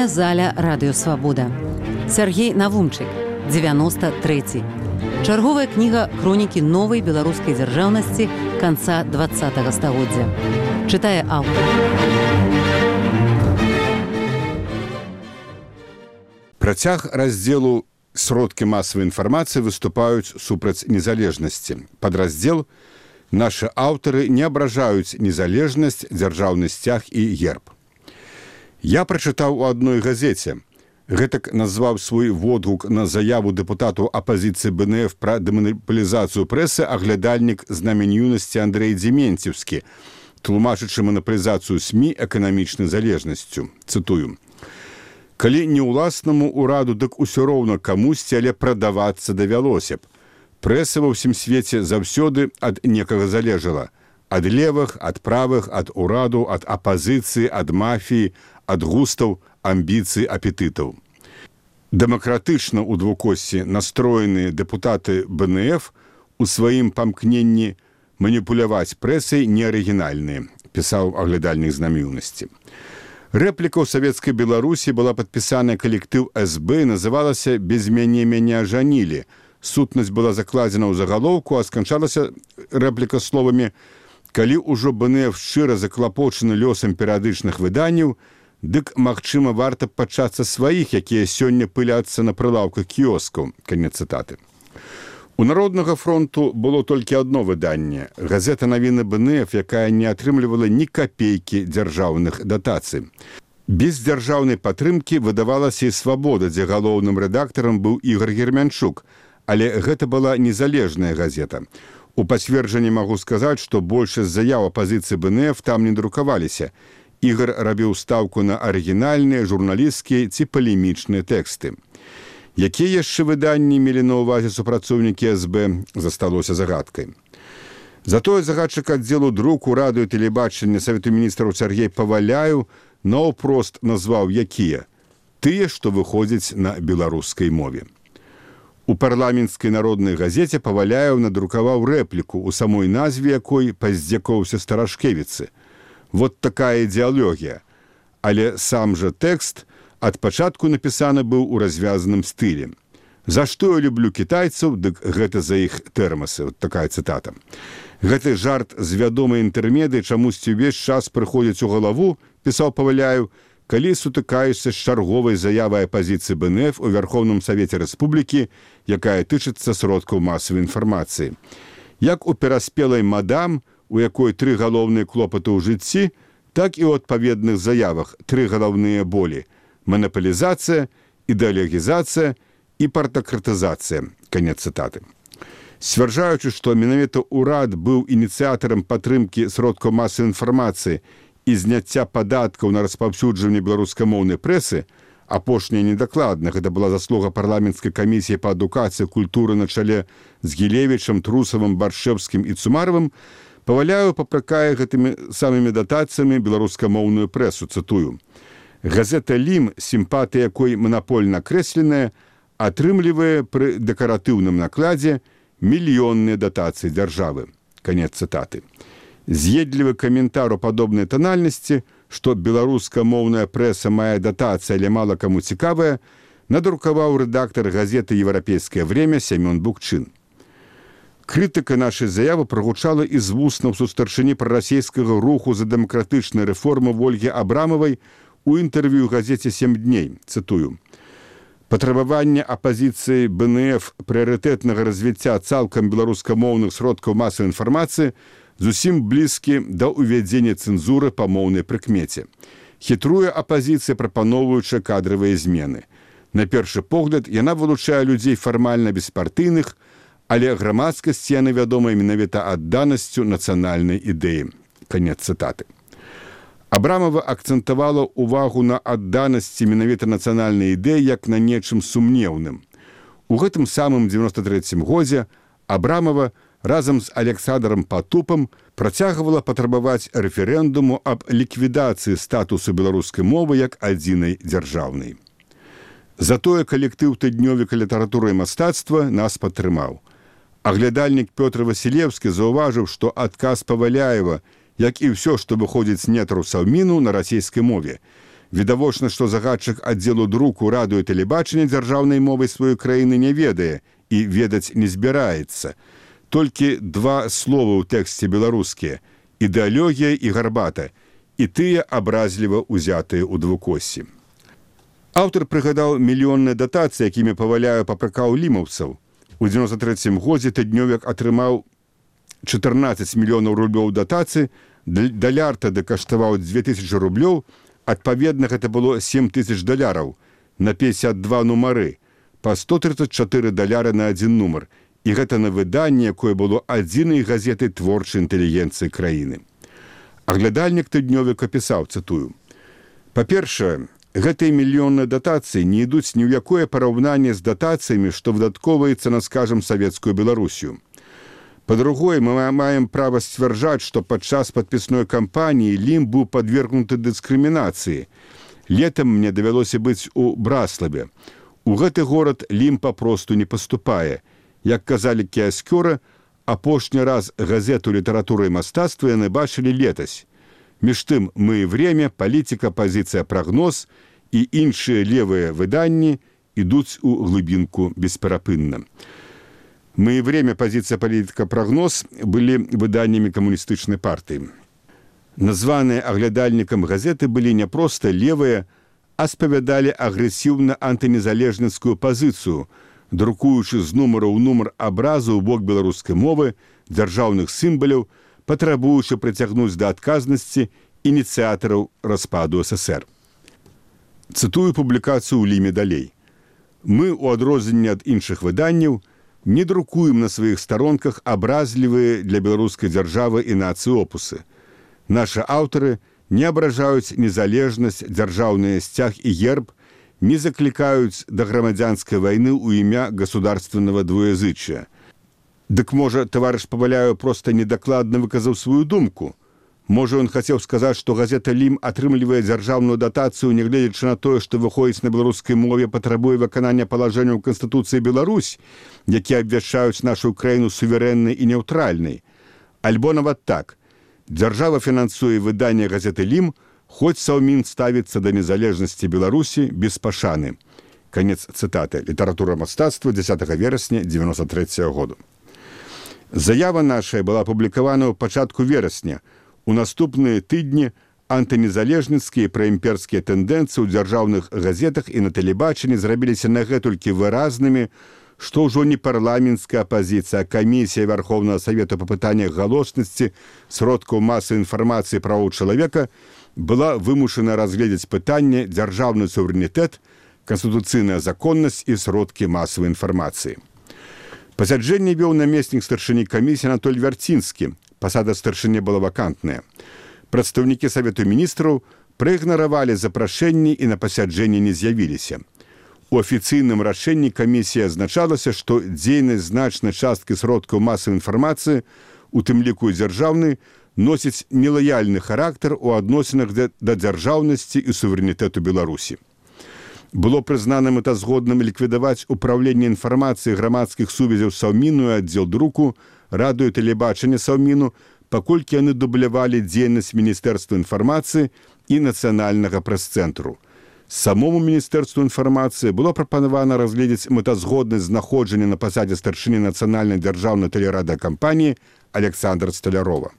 Літаратурная заля радыёвабода. Сяргей Навумчык, 93. Чарговая кніга хронікі новай беларускай дзяржаўнасці канца 20-го стагоддзя. Чытае аўтар. Працяг раздзелу «Сродкі масавай інфармацыі» выступаюць супраць незалежнасці. Падраздзел «Нашы аўтары не абражаюць незалежнасць, дзяржаўны сцяг і герб». Я прачытаў у адной газеце. Гэтак назваў свой водгук на заяву дэпутату апазіцыі БНФ пра дэманапалізацыю прэсы аглядальнік знамень юнасці Андрэй Дзементьеўскі, тлумачачы манапалізацыю СМІ эканамічнай залежнасцю. Цытую. «Калі не ўласнаму ўраду, дык усё роўна камусьці, але прадавацца давялося б. Прэса ва ўсім свеце заўсёды ад некага залежала. Ад левых, ад правых, ад ураду, ад апазіцыі, ад мафіі, ад густаў, амбіцый, апетытаў. Дэмакратычна ў двукосці настроеныя дэпутаты БНФ у сваім памкненні маніпуляваць прэсай неарыгінальныя», пісаў аглядальнік знаміўнасці. Рэпліка ў савецкай Беларусі была падпісаная калектыў СБ і называлася «Без мяне мяне ажанілі». Сутнасць была закладзена ў загалоўку, а сканчалася рэпліка словамі «Калі ўжо БНФ шчыра заклапочаны лёсам перыядычных выданняў, дык, магчыма, варта пачацца сваіх, якія сёння пыляцца на прылаўках кіёскаў». Канец цытаты. У Народнага фронту было толькі адно выданне – газета «Навіны БНФ», якая не атрымлівала ні капейкі дзяржаўных датацый. Без дзяржаўнай падтрымкі выдавалася і «Свабода», дзе галоўным рэдактарам быў Ігор Гермянчук, але гэта была незалежная газета. У пацверджанні магу сказаць, што большасць заяў апазіцыі БНФ там не друкаваліся. Ігор рабіў стаўку на арыгінальныя, журналісцкія ці палемічныя тэксты. Якія яшчэ выданні мелі на ўвазе супрацоўнікі СБ, засталося загадкай. Затое загадчык аддзелу друку, радыё, тэлебачання Савету міністраў Сяргей Паваляў наўпрост назваў якія? Тыя, што выходзяць на беларускай мове. У парламенцкай народнай газеце Паваляў надрукаваў рэпліку, у самой назве якой паздзякоўся Старашкевіцы. Вот такая ідэалогія. Але сам жа тэкст ад пачатку напісаны быў у развязаным стылі. «За што я люблю кітайцаў, дык гэта за іх тэрмасы». Вот такая цытата. Гэты жарт з вядомай інтэрмедыі чамусьці ўвесь час прыходзіць у галаву, пісаў Паваляў, калі сутыкаешся з чарговай заявай апазіцыі БНФ у Вярхоўным Савеце Рэспублікі, якая тычыцца сродкаў масавай інфармацыі. Як у пераспелай мадам, у якой 3 галоўныя клопаты ў жыцці, так і ў адпаведных заявах 3 галоўныя болі – манапалізацыя, ідэалогізацыя і партакратызацыя. Канец цытаты. Сцвярджаючы, што менавіта ўрад быў ініцыятарам падтрымкі сродкаў масавай інфармацыі і зняцця падаткаў на распаўсюджванне беларускамоўнай прэсы, апошняя недакладна, гэта была заслуга парламенцкай камісіі па адукацыі культуры на чале з Гілевічам, Трусавым, Баршэўскім і Цумаровым, Паваляў папракае гэтымі самымі датацыямі беларускамоўную прэсу, цытую. «Газета «Лім», сімпатыя якой манапольна акрэсленая, атрымлівае пры дэкаратыўным накладзе мільённыя датацыі дзяржавы». Канец цытаты. З'едлівы каментар у падобнай танальнасці, што беларускамоўная прэса мае датацыі, але мала каму цікавая, надрукаваў рэдактар газеты «Еўрапейскае время» Сямён Букчын. Крытыка нашай заявы прагучала і з вуснаў сустарчыні прарасійскага руху за дэмакратычныя рэформы Ольгі Абрамавай у інтэрв'ю газеце «7 дней». Цытую. «Патрабаванне апазіцыі БНФ прыярытэтнага развіцця цалкам беларускамоўных сродкаў масавай інфармацыі зусім блізкі да ўвядзення цэнзуры па моўнай прыкмеце. Хітруе апазіцыя, прапаноўваючы кадравыя змены. На першы погляд, яна вылучае людзей фармальна беспартыйных, але грамадскасці яны вядомыя менавіта адданасцю нацыянальнай ідэі». Канец цытаты. Абрамова акцэнтавала ўвагу на адданасці менавіта нацыянальнай ідэі як на нечым сумнеўным. У гэтым самым 93-м годзе Абрамова разам з Александром Патупам працягвала патрабаваць рэферэндуму аб ліквідацыі статусу беларускай мовы як адзінай дзяржаўнай. Затое калектыў тыднёвіка літаратуры і мастацтва нас падтрымаў. Аглядальнік Пётр Васілеўскі заўважыў, што адказ Паваляева, як і ўсё, што выходзіць з нетраў Саўміну на расійскай мове, Відавочна, што загадчык аддзелу друку радыё і тэлебачання дзяржаўнай мовай сваёй краіны не ведае і ведаць не збіраецца. Толькі два словы ў тэксце беларускія – ідэалогія і гарбата, і тыя абразліва ўзятыя ў двукоссі. Аўтар прыгадаў мільённыя датацыі, якімі паваляю папракаў лімаўцаў. У 93 годзе тыднёвік атрымаў 14 мільёнаў рублёў датацыі, даляр тады каштаваў 2000 рублёў, адпаведна гэта было 7000 даляраў на 52 нумары, па 134 даляры на адзін нумар. І гэта на выданне, якое было адзінай газетай творчай інтэлігенцыі краіны. Аглядальнік тыднёвіка пісаў, цытую: «Па-першае, гэтыя мільённыя датацыі не ідуць ні ў якое параўнанне з датацыямі, што выдаткоўваецца на, скажам, савецкую Беларусію. Па-другое, мы маем права сцвярджаць, што падчас падпісной кампаніі Лім быў падвергнуты дыскрымінацыі. Летам мне давялося быць у Браславе. У гэты горад Лім папросту не паступае. Як казалі кіяскёры, апошні раз газету «Літаратура і мастацтва» яны бачылі летась. Між тым «Мы и время», «Палітика», «Пазіцыя», «Прагноз» і іншыя левыя выданні ідуць у глыбінку бесперапынна. «Мы и время», «Пазіцыя», «Палітика», «Прагноз» былі выданнямі камуністычнай партыі. Названыя аглядальнікам газеты былі не проста левыя, а спавядалі агрэсіўна антынезалежніцкую пазіцыю, друкуючы з нумара ў нумар абразу ў бок беларускай мовы, дзяржаўных сімваляў, патрабуючы прыцягнуць да адказнасці ініцыятараў распаду ССР. Цытую публікацыю ў Ліме далей. «Мы, у адрозненне ад іншых выданняў, не друкуем на сваіх старонках абразлівыя для беларускай дзяржавы і нацыі опусы. Нашы аўтары не абражаюць незалежнасць, дзяржаўны сцяг і герб, не заклікаюць да грамадзянскай вайны ў імя государственного двуязычия. Дык, можа, таварыш Паваляю проста недакладна выказаў сваю думку. Можа, ён хацеў сказаць, што газета «Лім» атрымлівае дзяржаўную датацыю, нягледзячы на тое, што выходзіць на беларускай мове, патрабуе выканання палажэнняў Канстытуцыі Беларусь, якія абвяшчаюць нашу краіну суверэннай і няўтральнай. Альбо нават так. Дзяржава фінансуе выданне газеты «Лім», хоць Саўмін ставіцца да незалежнасці Беларусі без пашаны». Канец цытаты. «Літаратура мастацтва», 10 верасня 93 году. Заява наша была апублікавана ў пачатку верасня. У наступныя тыдні антынезалежніцкія праімперскія тэндэнцыі ў дзяржаўных газетах і на тэлебачанні зрабіліся нагэтулькі выразнымі, што ўжо не парламенцкая апазіцыя, а камісія Вярхоўнага Савету па пытаннях галоснасці, сродкаў масавай інфармацыі правоў чалавека была вымушана разгледзець пытанне дзяржаўны суверэнітэт, канстытуцыйная законнасць і сродкі масавай інфармацыі. Пасяджэнне вёў намеснік старшыні камісіі Анатоль Вярцінскі. Пасада старшыні была вакантная. Прадстаўнікі Савету міністраў праігнаравалі запрашэнні і на пасяджэнні не з'явіліся. У афіцыйным рашэнні камісіі азначалася, што дзейнасць значнай часткі сродкаў масавай інфармацыі, у тым ліку дзяржаўнай, носіць нелаяльны характар у адносінах да дзяржаўнасці і суверэнітэту Беларусі. Было прызнана мэтазгодным ліквідаваць управленне інфармацыі грамадскіх сувязяў Саўміну і аддзел друку, радыё і тэлебачання Саўміну, паколькі яны дублявалі дзейнасць Міністэрства інфармацыі і нацыянальнага прэс-цэнтру. Самому Міністэрству інфармацыі было прапанавана разгледзець мэтазгоднасць знаходжання на пасадзе старшыні нацыянальнай дзяржаўнай тэлерадыёкампаніі Александра Сталярова.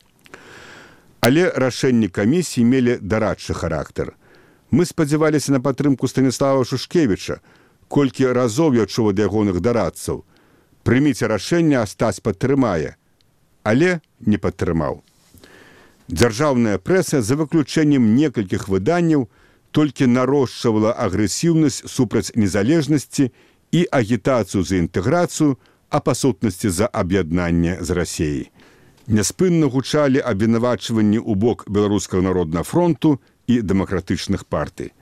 Але рашэнні камісіі мелі дарадчы характар. Мы спадзяваліся на падтрымку Станіслава Шушкевіча, колькі разоў я чуў ад ягоных дарадцаў. Прыміце рашэнне, а Стась падтрымае. Але не падтрымаў. Дзяржаўная прэса, за выключэннем некалькіх выданняў, толькі нарошчвала агрэсіўнасць супраць незалежнасці і агітацыю за інтэграцыю, а па сутнасці за аб'яднанне з Расіяй. Няспынна гучалі абвінавачванні ў бок Беларускага народнага фронту і дэмакратычных партый.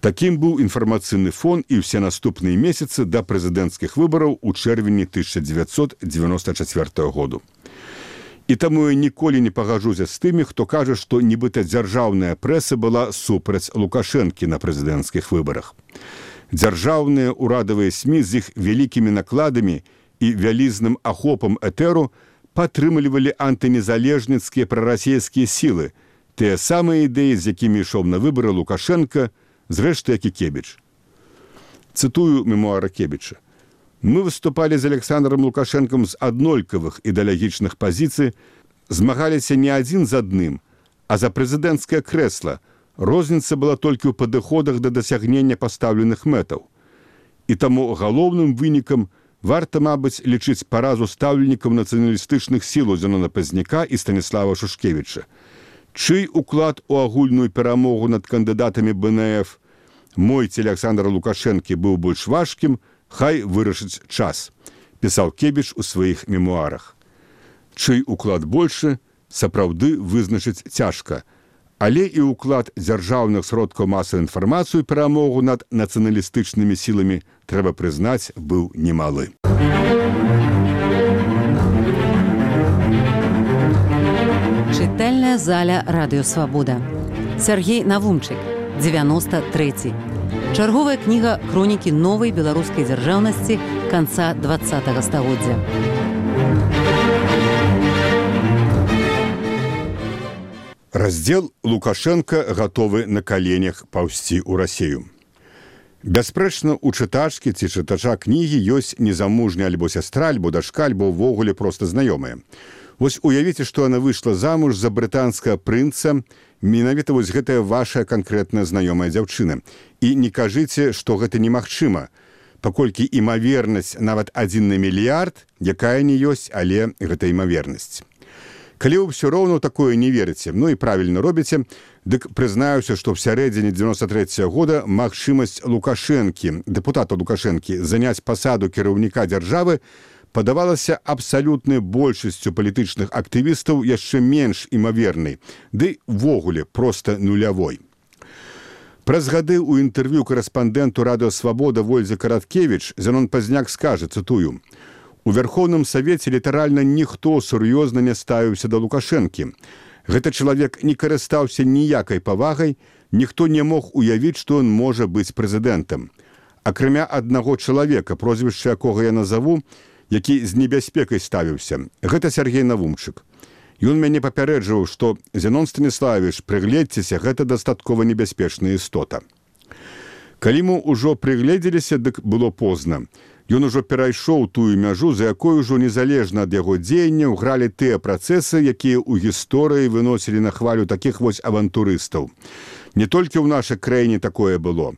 Такім быў інфармацыйны фон і ўсе наступныя месяцы да прэзідэнцкіх выбараў у чэрвені 1994 году. І таму я ніколі не пагажуся з тымі, хто кажа, што нібыта дзяржаўная прэса была супраць Лукашэнкі на прэзідэнцкіх выбарах. Дзяржаўныя урадавыя СМІ з іх вялікімі накладамі і вялізным ахопам этэру падтрымлівалі антынезалежніцкія прарасійскія сілы, Тыя самыя ідэі, з якімі ішоў на выбары Лукашенка, зрэшты, як і Кебіч. Цытую мемуара Кебіча. «Мы выступали з Александром Лукашенком з аднолькавых ідэалагічных пазіцый, змагаліся не адзін з адным, а за прэзідэнцкае крэсла. Розніца была толькі ў падыходах да дасягнення пастаўленых мэтаў. І таму галоўным вынікам варта, мабыць, лічыць паразу стаўленнікаў нацыяналістычных сілаў Зенона Пазняка і Станіслава Шушкевіча. Чый уклад у агульную перамогу над кандыдатамі БНФ мой ці Александра Лукашэнкі быў больш важкім, хай вырашыць час», пісаў Кебіч у сваіх мемуарах. Чый уклад большы, сапраўды вызначыць цяжка, але і ўклад дзяржаўных сродкаў масавай інфармацыі перамогу над нацыяналістычнымі сіламі, трэба прызнаць, быў немалы. Чытальная заля Радыё Свабода. Сергей Навумчык, 93. Чарговая кніга хронікі новай беларускай дзяржаўнасці канца 20-го стагоддзя. Раздзел «Лукашенка гатовы на каленях паўзці ў Расею». Бясспрэчна, у чытачкі ці чытача кнігі ёсць незамужняя альбо сястра, альбо дачка, альбо ўвогуле проста знаёмая. Вось уявіце, што яна выйшла замуж за брытанскага прынца, менавіта вось гэтая ваша канкрэтная знаёмая дзяўчына. І не кажыце, што гэта немагчыма, паколькі імавернасць нават 1 на мільярд, якая не ёсць, але гэта імавернасць. Калі вы ўсё роўна такое не верыце, ну і правільна робіце, дык прызнаюся, што ў сярэдзіне 93-го года магчымасць Лукашэнкі, дэпутата Лукашэнкі, заняць пасаду кіраўніка дзяржавы падавалася абсалютнай большасцю палітычных актывістаў яшчэ менш імавернай, ды ввогуле проста нулявой. Праз гады ў інтэрв'ю карэспандэнту Радыё Свабода Вользе Караткевіч Зенон Пазняк скажа, цытую, «У Верховным Савеце літаральна ніхто сур'ёзна не ставіўся да Лукашэнкі. Гэты чалавек не карыстаўся ніякай павагай, ніхто не мог уявіць, што ён можа быць прэзідэнтам. Акрамя аднаго чалавека, прозвішча якога я назаву, які з небяспекай ставіўся. Гэта Сергей Навумчык. Ён мяне папярэджваў, што Зенон Станіславович, прыгледзьцеся, гэта дастаткова небяспечная істота». Калі мы ўжо прыгледзеліся, дык было позна. Ён ужо перайшоў тую мяжу, за якой ужо незалежна ад яго дзеянняў гралі тыя працэсы, якія ў гісторыі выносілі на хвалю такіх вось авантурыстаў. Не толькі ў нашай краіне такое было.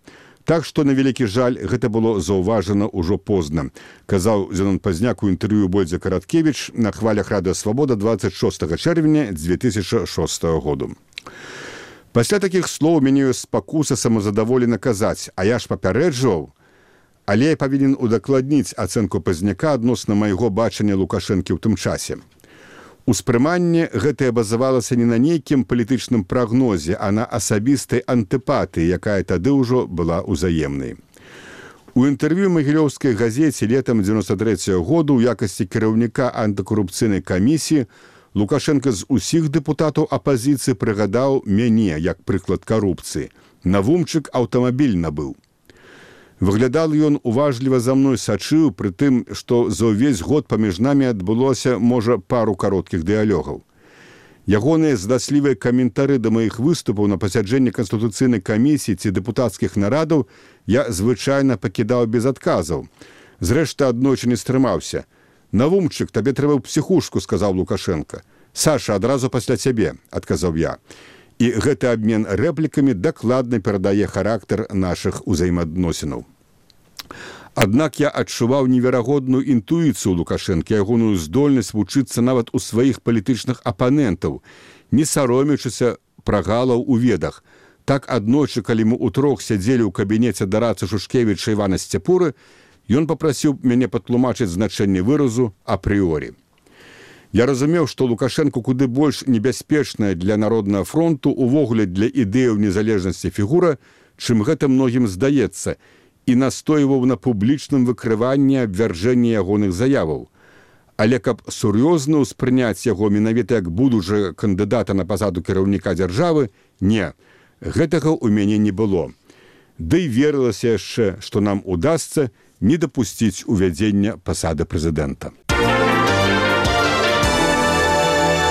Так што, на вялікі жаль, гэта было заўважана ўжо позна, казаў Зенон Пазняк у інтэрв'ю Вользе Караткевіч на хвалях Радыё Свабода 26 чэрвеня 2006 году. Пасля такіх слоў мяне ёсць спакуса самазадаволена казаць, а я ж папярэджваў, але я павінен удакладніць ацэнку Пазняка адносна майго бачання Лукашэнкі ў тым часе. Успрыманне гэтае базавалася не на нейкім палітычным прагнозе, а на асабістай антыпатыі, якая тады ўжо была ўзаемнай. У інтэрв'ю Магілёўскай газеце летам 93-го году ў якасці кіраўніка антыкарупцыйнай камісіі Лукашенка з усіх дэпутатаў апазіцыі прыгадаў мяне як прыклад карупцыі. Навумчык аўтамабіль набыў. Выглядал ён уважліва за мной сачыў, пры тым, што за ўвесь год паміж намі адбылося, можа, пару кароткіх дыялогаў. Ягоныя здаслівыя каментары да маіх выступаў на пасяджэнні Канстытуцыйнай камісіі ці дэпутацкіх нарадаў я звычайна пакідаў без адказаў. Зрэшты, аднойчы не стрымаўся. «Навумчык, табе трэба ў псіхушку», сказаў Лукашенка. «Саша, адразу пасля цябе», адказаў я. І гэты абмен рэплікамі дакладна перадае характар нашых узаемаадносінаў. Аднак я адчуваў неверагодную інтуіцыю Лукашэнкі, ягоную здольнасць вучыцца нават у сваіх палітычных апанентаў, не саромячыся прагалаў у ведах. Так аднойчы, калі мы утрох сядзелі ў кабінеце дарацы Шушкевіча Івана Сцяпуры, ён папрасіў мяне патлумачыць значэнне выразу апрыорі. Я разумеў, што Лукашенко куды больш небяспечная для Народнага фронту, увогуле для ідэяў незалежнасці фігура, чым гэта многім здаецца, і настойваў на публічным выкрыванні абвяржэння ягоных заяваў. Але каб сур'ёзна ўспрыняць яго менавіта як будучага кандыдата на пасаду кіраўніка дзяржавы, не, гэтага ў мяне не было. Ды і верылася яшчэ, што нам удасца не дапусціць увядзення пасады прэзідэнта.